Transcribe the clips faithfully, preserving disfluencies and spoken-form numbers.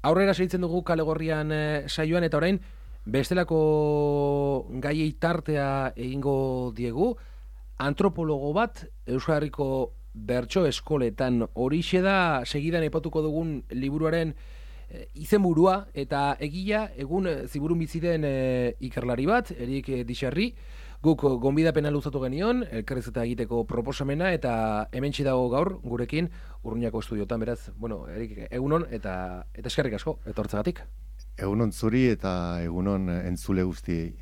Aurrera segitzen dugu Kale Gorrian eh, saioan, eta orain bestelako gaiei tartea egingo diegu. Antropologo bat Euskal Herriko bertso eskoletan, horixe da segidan aipatuko dugun liburuaren e, izenburua, eta egila egun ziburun bizi den e, ikerlari bat, Erik Dixarri. Guk gonbidapena luzatu genion, elkarrizketa egiteko proposamena, eta hementsi dago gaur gurekin Urruñako estudiotan, beraz, bueno, Erik, egunon eta eta eskerrik asko etortzagatik. Egunon zuri eta egunon entzule guztiei.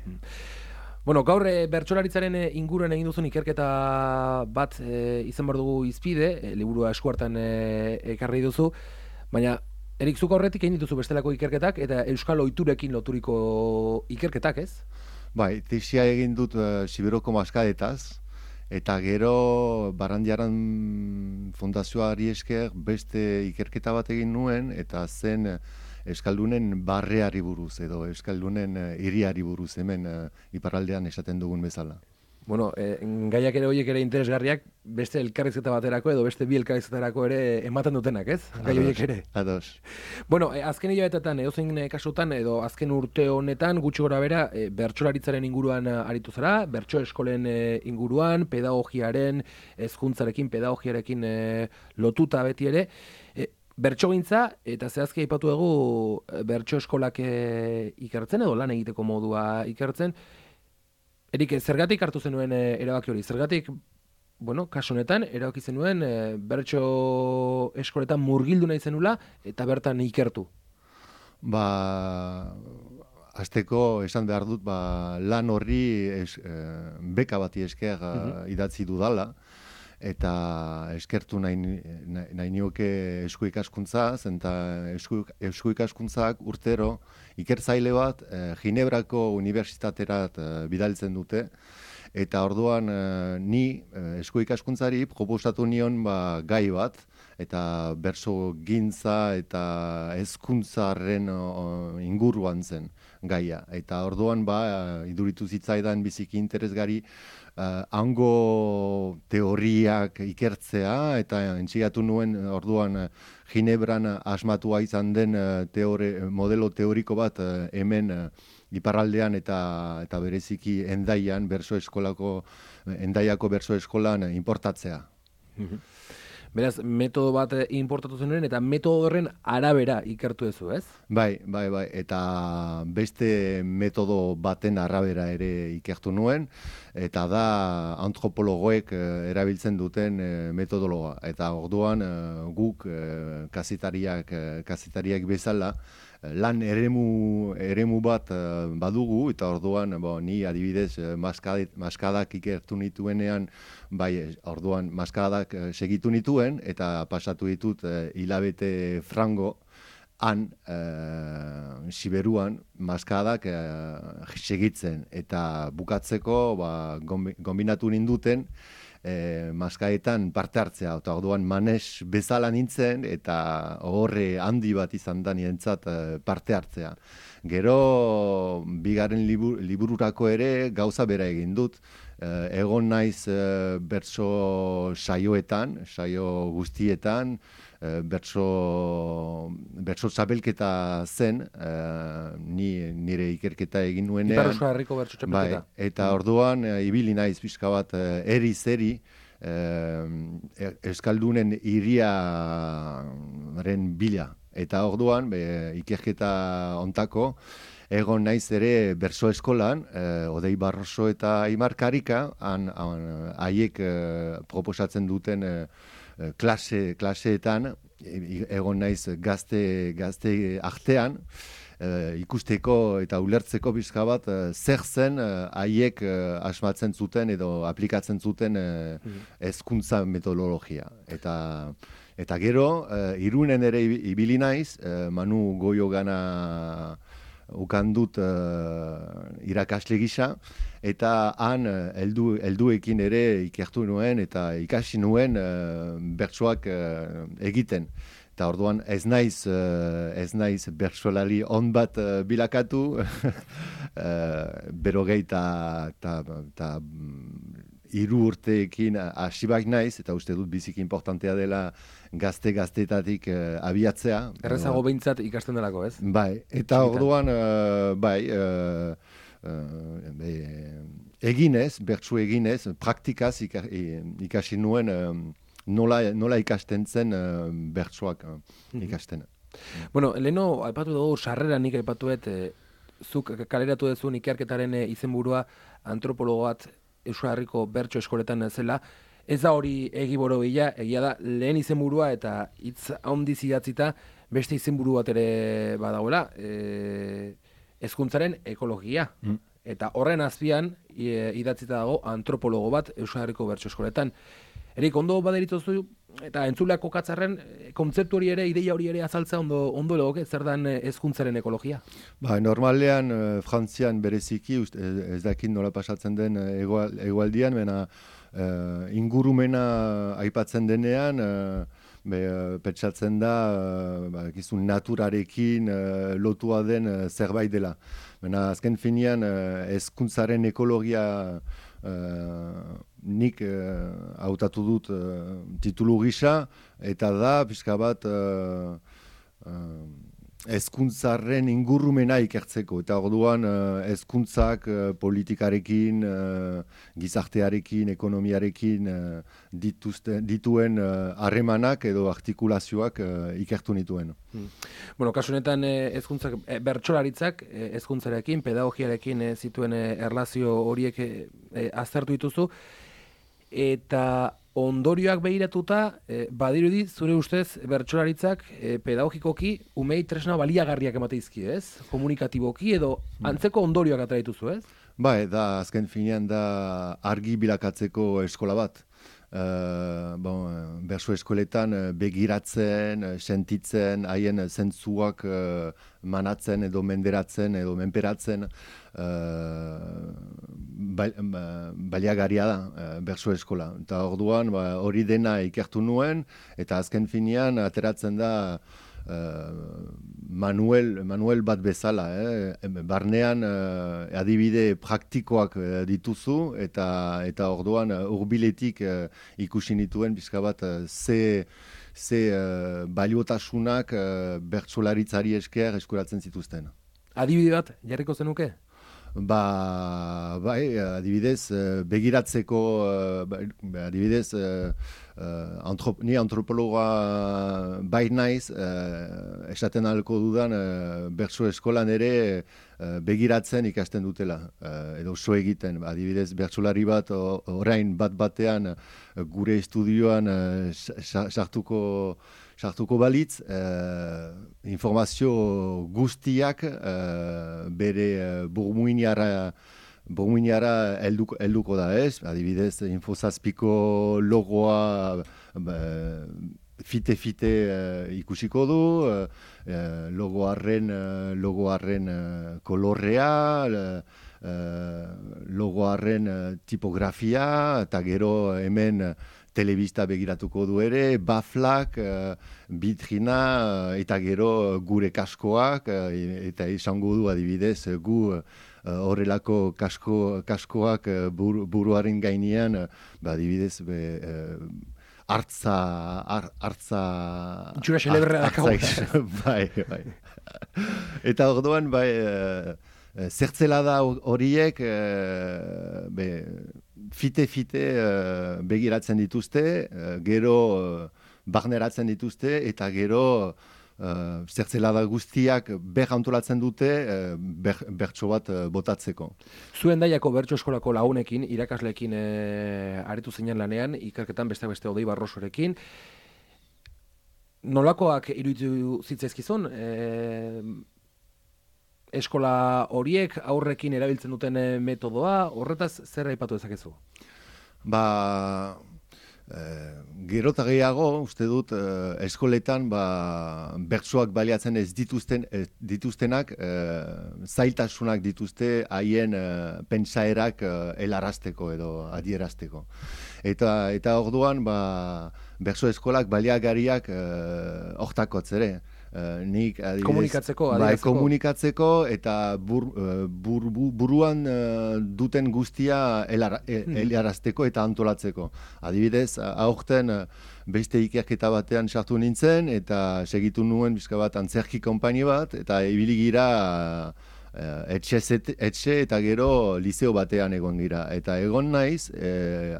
Bueno, gaur e, bertsolaritzaren e, inguruan egin duzun ikerketa bat e, izan behar dugu izpide, e, liburua eskuartan e, ekarri duzu, baina Erik, zuk horretik egin dituzu bestelako ikerketak eta euskal ohiturekin loturiko ikerketak, ez? Bai, tesia egin dut uh, Siberoko maskadetaz, eta gero Barandiaran fundazioari esker beste ikerketa bat egin nuen, eta zen Euskaldunen barreari buruz, edo Euskaldunen uh, hiriari buruz hemen uh, iparraldean esaten dugun bezala. Bueno, eh, gaiak ere horiek ere interesgarriak, beste elkarrizketa baterako edo beste bi elkarrizketarako ere ematen dutenak, ez? Gai horiek ere. Ados. Bueno, eh, azken hilabetetan, edozein kasutan, edo azken urte honetan, gutxi gora bera, eh, bertsolaritzaren inguruan eh, aritu zara, bertso eskolen eh, inguruan, pedagogiaren, hezkuntzarekin, pedagogiarekin eh, lotuta beti ere, eh, bertsogintza, eta zehazki aipatu dugu eh, bertso eskolak eh, ikertzen, edo lan egiteko modua ikertzen. Erik, zergatik hartu zenuen e, erabaki hori? Zergatik, bueno, kasu honetan, erabaki zenuen e, bertso eskoletan murgildu nahi zenula eta bertan ikertu? Ba, hasteko esan behar dut, ba, lan horri es, e, beka bati esker uh-huh. idatzi dudala, eta eskertu nahi, nahi, nahi nioke esku ikaskuntzaz, eta esku, esku ikaskuntzak urtero ikertzaile bat eh, Ginebrako unibertsitaterat eh, bidaltzen dute, eta orduan eh, ni eh, esku ikaskuntzari proposatu nion ba, gai bat, eta berso gintza eta hezkuntzaren oh, inguruan zen gaia. Eta orduan ba, iduritu zitzaidan biziki interesgari Uh, hango teoriak ikertzea, eta entxigatu nuen orduan uh, Ginebran asmatua izan den uh, teore, modelo teoriko bat uh, hemen uh, iparraldean eta eta bereziki Hendaian berso eskolako Hendaiako berso eskolan uh, importatzea. Beraz, metodo bat importatu zenuen eta metodo horren arabera ikertu duzu, ez? Bai, bai, bai, eta beste metodo baten arabera ere ikertu nuen, eta da antropologoek erabiltzen duten metodologa. Eta orduan guk kazetariak, kazetariak bezala lan eremu, eremu bat badugu, eta orduan bo, ni adibidez maskadet, maskadak ikertu nituenean, bai, orduan maskadak segitu nituen, eta pasatu ditut hilabete frango, han, e, Siberuan, maskadak e, segitzen, eta bukatzeko ba, gombinatu ninduten, E, maskaetan parte hartzea, eta orduan manes bezala nintzen, eta horre handi bat izan da nientzat parte hartzea. Gero, bigarren libur, libururako ere gauza bera egin dut. E, egon naiz e, bertso saioetan, saio guztietan, e, bertso, bertso txapelketa zen, e, ni, nire ikerketa egin nuenean. Ipar Euskal Herriko bertso txapelketa. Bai, eta orduan e, ibili naiz pixka bat e, eri-zeri, e, Euskaldunen hiriaren bila. Eta orduan, be, ikerketa ontako, egon naiz ere berso eskolan, eh, Odei Barroso eta Aimar Karika, han, han, haiek eh, proposatzen duten eh, klase, klaseetan, egon naiz gazte, gazte artean, eh, ikusteko eta ulertzeko bizka bat, eh, zer zen haiek eh, asmatzen zuten edo aplikatzen zuten eh, hezkuntza metodologia. Eta Eta gero, uh, Irunen ere ibili naiz, uh, Manu Goio gana ukan dut uh, irakasle gisa, eta han uh, eldu, elduekin ere ikertu nuen eta ikasi nuen uh, bertsoak uh, egiten. Eta orduan ez naiz, uh, ez naiz bertsolari on bat uh, bilakatu, uh, berogei eta hiru urteekin hasi baik naiz, eta uste dut biziki importantea dela gazte-gaztetatik uh, abiatzea. Errezago behintzat ikasten delako, ez? Bai, eta orduan, uh, bai, uh, uh, be, eginez, bertsu eginez, praktikaz ikasi nuen um, nola, nola ikasten zen uh, bertsuak uh, ikasten. Mm-hmm. Bueno, leheno, aipatu dugu, sarrera nik aipatuet, eh, zuk kaleratu duzun ikerketaren eh, izenburua antropologo bat Euskal Herriko bertso eskoletan zela. Ez da hori egiboro bila, egia da, lehen izenburua eta hitz handiz idatzita beste izenburu bat ere badagoela, e, hezkuntzaren ekologia. Mm. Eta horren azpian e, idatzita dago antropologo bat Euskal Herriko bertso eskoletan. Erik, ondo baderituzu eta entzuleak kokatzarren, kontzeptu hori ere, ideia hori ere azaltza ondo, ondo legoke, zer dan hezkuntzaren ekologia? Ba, normalean, uh, Frantzian bereziki, uste, ez dakit nola pasatzen den egual, egualdian, mena uh, ingurumena aipatzen denean, uh, be, uh, petsatzen da, uh, ba, gizun naturarekin uh, lotua den uh, zerbait dela. Mena, azken finean, hezkuntzaren uh, ekologia uh, nik hautatu uh, dut uh, titulu gisa, eta da, pixka bat, hezkuntzaren uh, uh, ingurumena ikertzeko. Eta orduan, hezkuntzak uh, uh, politikarekin, uh, gizartearekin, ekonomiarekin uh, dituzte, dituen harremanak uh, edo artikulazioak uh, ikertu nituen. Hmm. Bueno, kasu honetan hezkuntzak, eh, bertsolaritzak hezkuntzarekin, eh, pedagogiarekin eh, zituen eh, erlazio horiek eh, aztertu dituzu, eta ondorioak behiratuta, eh, badirudi, zure ustez, bertsolaritzak eh, pedagogikoki umei tresna baliagarriak emateizki, ez? Komunikatiboki edo antzeko ondorioak atera dituzu, ez? Bai, da, azken finean da argi bilakatzeko eskola bat. Uh, bon, berso eskoletan begiratzen, sentitzen, haien zentzuak uh, manatzen edo menderatzen edo menperatzen uh, baliagaria da uh, berso eskola. Eta orduan hori ba, dena ikertu nuen, eta azken finean ateratzen da Uh, manuel, manuel bat bezala, eh? Barnean uh, adibide praktikoak uh, dituzu, eta eta orduan uh, urbiletik uh, ikusi nituen bizka bat uh, ze, ze uh, baliotasunak uh, bertsolaritzari esker eskuratzen zituzten. Adibide bat, jarriko zenuke? Ba, bai, adibidez, begiratzeko, adibidez, Uh, antrop, ni antropologa bai naiz, uh, esaten ahalko dudan uh, bertso eskolan ere uh, begiratzen ikasten dutela, uh, edo so egiten. Adibidez, bertsolari bat orain bat batean uh, gure estudioan sartuko uh, sartuko balitz, uh, informazio guztiak uh, bere uh, burmuinara Burmuinara helduko, helduko da, ez? Adibidez, Infozazpiko logoa fite-fite uh, ikusiko du, uh, logoarren, uh, logoarren uh, kolorrea, uh, logoarren uh, tipografia, eta gero hemen uh, telebista begiratuko du ere, baflak, uh, bitrina, uh, eta gero gure kaskoak, uh, eta izango du adibidez gu horrelako uh, kasko, kaskoak uh, bur, buruaren gainean, uh, ba, adibidez, be, uh, hartza, ar, hartza... Itxura xeleberra dakago. Bai, bai. Eta orduan, bai, uh, zertzela da horiek, uh, be, fite-fite uh, begiratzen dituzte, uh, gero uh, barneratzen dituzte, eta gero uh, zertzela da guztiak ber antolatzen dute uh, ber, bertso bat uh, botatzeko. Zuen daiako bertso eskolako lagunekin, irakasleekin uh, aritu zinen lanean, ikerketan beste beste Odei Barrosorekin, nolakoak iruditu zitzaizkizun? E, eskola horiek aurrekin erabiltzen duten metodoa, horretaz zer aipatu dezakezu? Ba, eh, gero eta gehiago, uste dut, eh, eskoletan ba, bertsoak baliatzen ez dituzten, ez dituztenak, eh, zailtasunak dituzte haien eh, pentsaerak eh, helarazteko edo adierazteko. Eta, eta orduan, ba, bertso eskolak baliagariak hortakotz ere. Uh, nik, adibidez, komunikatzeko, bai, komunikatzeko eta bur, bur, bur, buruan uh, duten guztia helara, helarazteko eta antolatzeko. Adibidez, aurten uh, beste ikerketa batean sartu nintzen eta segitu nuen bizka bat antzerki konpaini bat eta ibili gira uh, etxe, etxe eta gero liceo batean egon gira. Eta egon naiz, eh,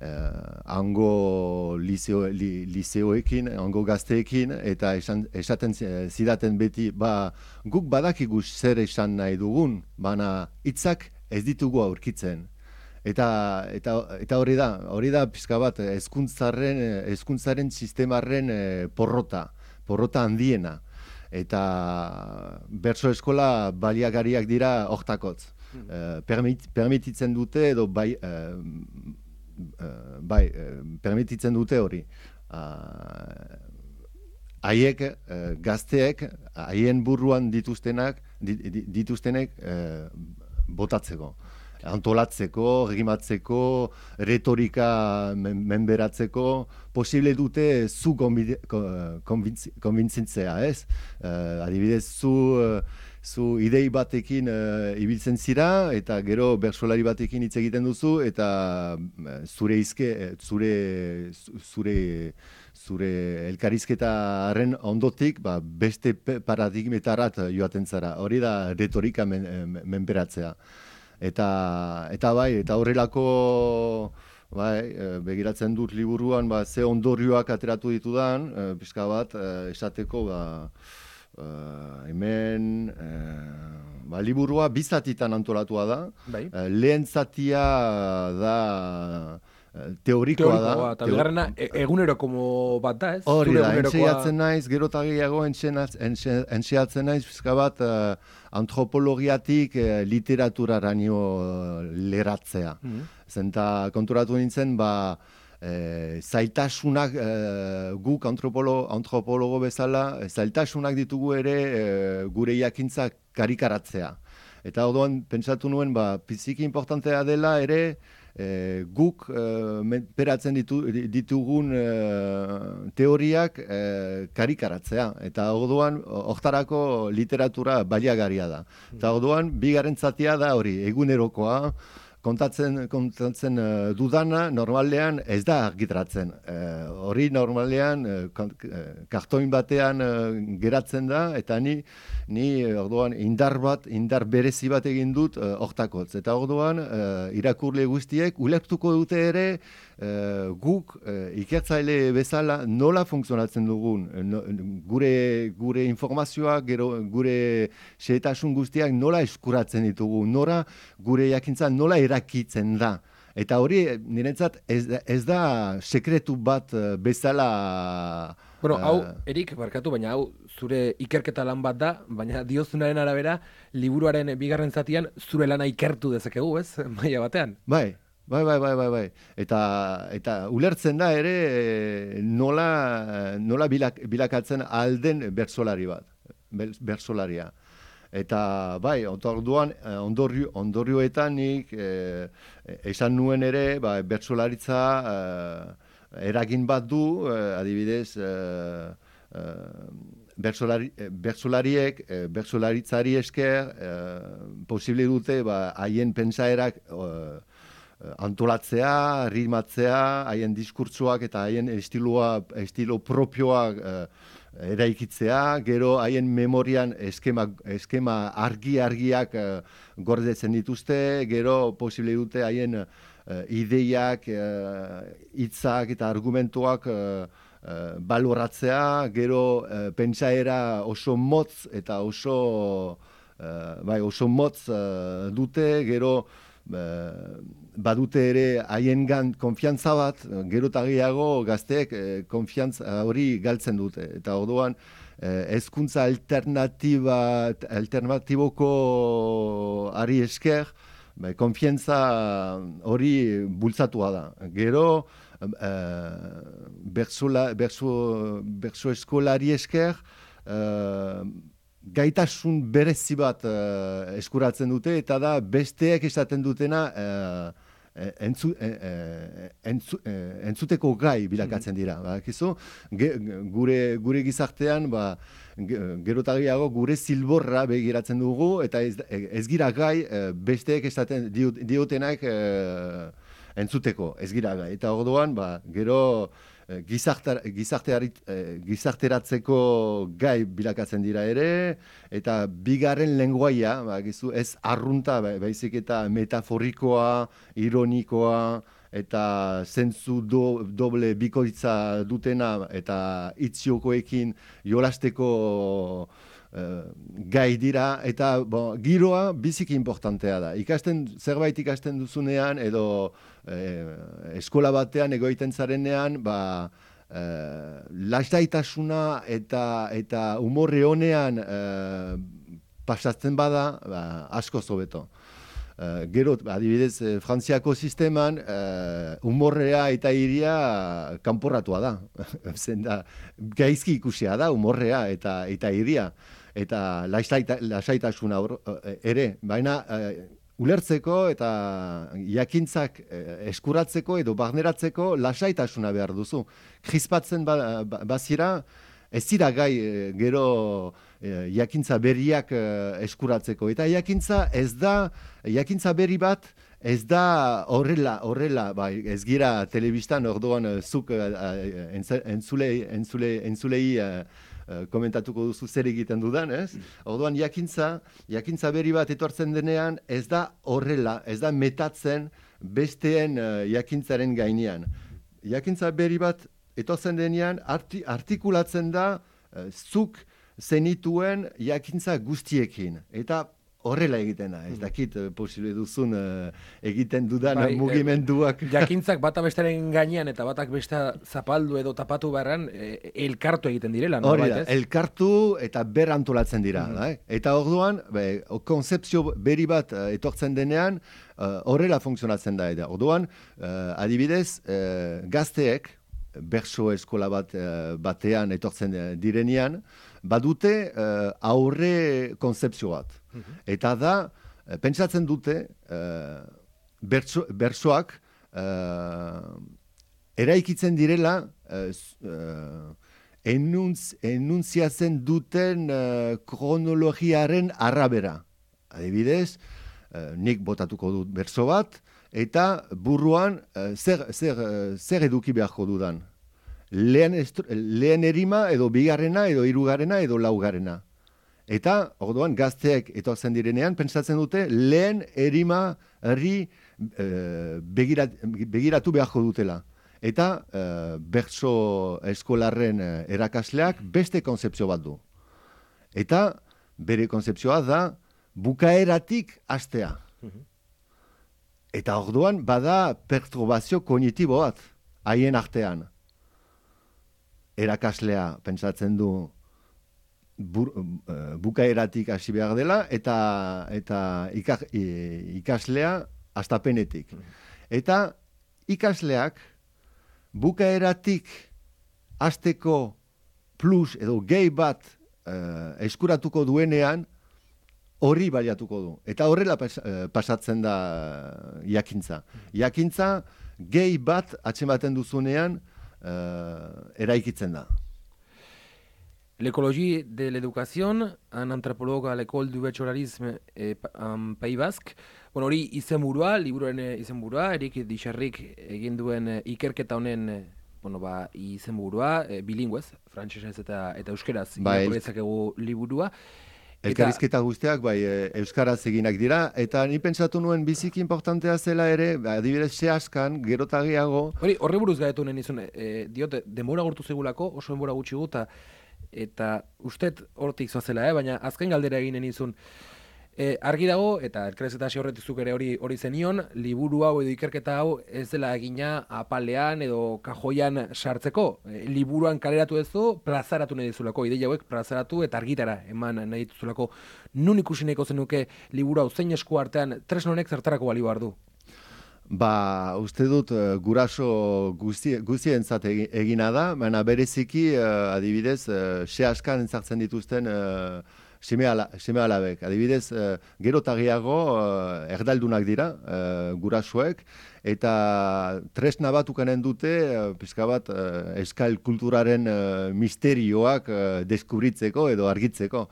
Uh, hango liceo, li, liceoekin, hango gazteekin, eta esan, esaten zidaten beti, ba, guk badakigu zer esan nahi dugun, baina hitzak ez ditugu aurkitzen. Eta, eta, eta hori da, hori da pixka bat, hezkuntzaren, hezkuntzaren sistemarren eh, porrota, porrota handiena. Eta bertso eskola baliagariak dira hortakotz. Hmm. Uh, permit, permititzen dute edo bai... Uh, Uh, bai, uh, permititzen dute hori. Haiek, uh, uh, gazteek, haien buruan dituztenak, dituztenek uh, botatzeko. Antolatzeko, rimatzeko, retorika men menberatzeko, posible dute zu konbintzitzea, ez? Uh, adibidez, zu... Uh, zu idei batekin uh, ibiltzen zira, eta gero bertsolari batekin hitz egiten duzu, eta uh, zure izke, zure, zure, zure elkarrizketaren ondotik, ba, beste paradigmetarat joaten zara. Hori da retorika men, men, menperatzea. Eta, eta bai, eta horrelako bai, begiratzen dut liburuan, ba, ze ondorioak ateratu ditudan, uh, pixka bat, uh, esateko, ba, Uh, hemen uh, ba, liburua bizatitan antolatua da. Bai. Uh, lehen zatia da uh, teorikoa da. Eta bigarrena eguneroko bat da, ez? Hori da, entxeatzen naiz, gero eta gehiago entxeatzen naiz, pizka bat uh, antropologiatik uh, literaturaraino uh, leratzea. Mm-hmm. Zenta konturatu nintzen, ba, E, zailtasunak e, guk antropolo, antropologo bezala, zailtasunak ditugu ere e, gure jakintzak karikaratzea. Eta orduan pentsatu nuen, ba, biziki importantea dela ere e, guk e, menperatzen ditu, ditugun e, teoriak e, karikaratzea. Eta orduan hortarako literatura baliagarria da. Eta orduan bigarren zatia da hori, egunerokoa, kontatzen kontatzen uh, dudana normalean ez da argitaratzen. Uh, hori normalean uh, kartoin batean uh, geratzen da eta ni ni orduan indar bat, indar berezi bat egin dut hortakotz. Uh, eta orduan uh, irakurle guztiek ulertuko dute ere uh, guk uh, ikertzaile bezala nola funtzionatzen dugun. No, gure gure informazioak, gero gure xehetasun guztiak nola eskuratzen ditugu, nora gure jakintza nola erakitzen da. Eta hori niretzat ez, ez da sekretu bat bezala... Bueno, hau, Erik, barkatu, baina hau zure ikerketa lan bat da, baina diozunaren arabera, liburuaren bigarren zatian zure lana ikertu dezakegu, ez? Maila batean. Bai, bai, bai, bai, bai, bai. Eta, eta ulertzen da ere nola, nola bilak, bilakatzen alden bertsolari bat, bertsolaria. Eta bai, orduan ondorio, ondorioetan nik eh, esan nuen ere, ba, bertsolaritza eh, eragin bat du, eh, adibidez, eh, eh, bertsolari, bertsolariek, eh, bertsolaritzari esker, eh, posible dute ba, haien pentsaerak eh, antolatzea, ritmatzea, haien diskurtsoak eta haien estiloa, estilo propioak eh, eraikitzea, gero haien memorian eskema, eskema argi-argiak uh, gordetzen dituzte, gero posible dute haien uh, ideiak, hitzak uh, eta argumentuak uh, uh, baloratzea, gero uh, pentsaera oso motz eta oso, uh, bai, oso motz uh, dute, gero Uh, badute ere haiengan konfiantza bat, gero eta gehiago gazteek eh, konfiantza hori galtzen dute. Eta orduan eh, hezkuntza alternatiba, alternatiboko ari esker, ba, konfiantza hori bultzatua da. Gero eh, bertsola, bertso, bertso eskolari esker, eh, gaitasun berezi bat uh, eskuratzen dute, eta da besteek esaten dutena uh, entzu, entzu, entzuteko gai bilakatzen dira. Bakizu, gure, gure gizartean, ba, gerotagiago gure zilborra begiratzen dugu, eta ez, ez gira gai besteek esaten diotenak entzuteko, ez gira gai. Eta orduan, ba, gero gizarteratzeko gai bilakatzen dira ere, eta bigarren lenguaia, ba, gizu, ez arrunta, ba, baizik eta metaforikoa, ironikoa, eta zentzu do, doble bikoitza dutena, eta itziokoekin jolasteko Uh, gai dira, eta bon, giroa biziki importantea da. Ikasten, zerbait ikasten duzunean, edo eh, eskola batean egoiten zarenean, ba, eh, lastaitasuna eta, eta umorre honean eh, pasatzen bada, ba, asko zobeto. Uh, gero, adibidez, eh, Frantziako sisteman uh, umorrea eta iria kanporratua da. Zenda, gaizki ikusia da umorrea eta, eta iria. Eta lasaitasuna ere, baina uh, ulertzeko eta jakintzak uh, eskuratzeko edo barneratzeko lasaitasuna behar duzu. Krispatzen ba, ba, bazira, ez dira gai uh, gero uh, jakintza berriak uh, eskuratzeko. Eta jakintza ez da, jakintza berri bat, ez da horrela, horrela, bai, ez gira telebistan orduan uh, zuk uh, entzulei, entzulei, entzulei uh, komentatuko duzu zer egiten dudan, ez? Orduan jakintza, jakintza berri bat etortzen denean, ez da horrela, ez da metatzen besteen uh, jakintzaren gainean. Jakintza berri bat etortzen denean, arti, artikulatzen da uh, zuk zenituen jakintza guztiekin. Eta horrela egiten da, ez dakit posible duzun uh, egiten dudan bai, mugimenduak. Eh, jakintzak bata bestaren gainean eta batak besta zapaldu edo tapatu beharran eh, elkartu egiten direla. Hori da, elkartu eta berantolatzen dira. Mm -hmm. da, eta orduan, be, konzepzio berri bat uh, etortzen denean, uh, horrela funtzionatzen da. Eta orduan, uh, adibidez, uh, gazteek, bertso eskola bat uh, batean etortzen direnean, badute uh, aurre konzepzio bat. Eta da, pentsatzen dute, uh, bertso, bertsoak uh, eraikitzen direla uh, uh, enuntz, enuntziatzen duten uh, kronologiaren arabera. Adibidez, uh, nik botatuko dut bertso bat, eta buruan uh, zer, zer, uh, zer eduki beharko dudan. Lehen, estru, lehen erima, edo bigarrena, edo hirugarrena, edo laugarrena. Eta, orduan, gazteek etortzen direnean, pentsatzen dute, lehen erima herri e, begirat, begiratu beharko dutela. Eta, e, bertso eskolarren erakasleak beste konzepzio bat du. Eta, bere konzepzioa da, bukaeratik hastea. Eta orduan, bada perturbazio kognitibo bat, haien artean. Erakaslea, pentsatzen du, Bur, uh, bukaeratik hasi behar dela, eta, eta ikak, ikaslea hastapenetik. Eta ikasleak bukaeratik hasteko plus edo gehi bat uh, eskuratuko duenean hori baliatuko du. Eta horrela pas, uh, pasatzen da jakintza. Jakintza gehi bat atzematen duzunean uh, eraikitzen da. L'écologie de l'éducation, un anthropologue à l'école du bachelaurisme en Pays Basque. Bueno, hori izenburua, liburuaren izenburua, Erik Dixarrik egin duen ikerketa honen bueno, ba, izenburua, e, bilinguez, frantsesez eta eta euskeraz irakurri dezakegu liburua. Elkarrizketa guztiak bai euskaraz eginak dira, eta ni pentsatu nuen biziki importantea zela ere, adibidez sehaskan, gerotagiago. Hori, horre buruz gaitu nuen izun, e, diote, denbora gortu zegulako, oso denbora gutxi guta, eta ustet hortik zoazela, eh? Baina azken galdera eginen izun. E, argi dago, eta elkarrizketa hasi horretizuk ere hori hori zenion, liburu hau edo ikerketa hau ez dela egina apalean edo kajoian sartzeko. E, liburuan kaleratu ezu, plazaratu nahi dizulako, ideia hauek plazaratu eta argitara eman nahi dituzulako. Nun ikusi nahiko zenuke liburu hau zein esku artean tresnonek zertarako balio behar du? Ba, uste dut uh, guraso guzti, guztientzat egina da, baina bereziki uh, adibidez uh, sehaskan entzartzen dituzten uh, seme, ala, seme alabek. Adibidez, uh, gero eta gehiago uh, erdaldunak dira, uh, gurasuek, eta tresna bat ukanen dute, uh, pizka bat, uh, euskal kulturaren uh, misterioak uh, deskubritzeko edo argitzeko.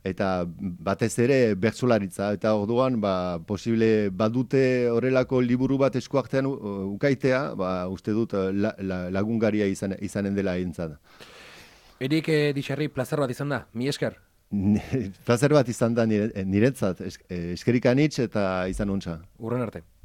Eta batez ere bertsolaritza, eta orduan ba, posible badute horrelako liburu bat eskuartean uh, ukaitea, ba, uste dut uh, la, la, lagungaria izan, izanen dela entzat. Erik eh, Dixarri, plazer bat izan da, mi esker. Plazer bat izan da nire, niretzat, eskerik anitz eta izan untza. Urren arte.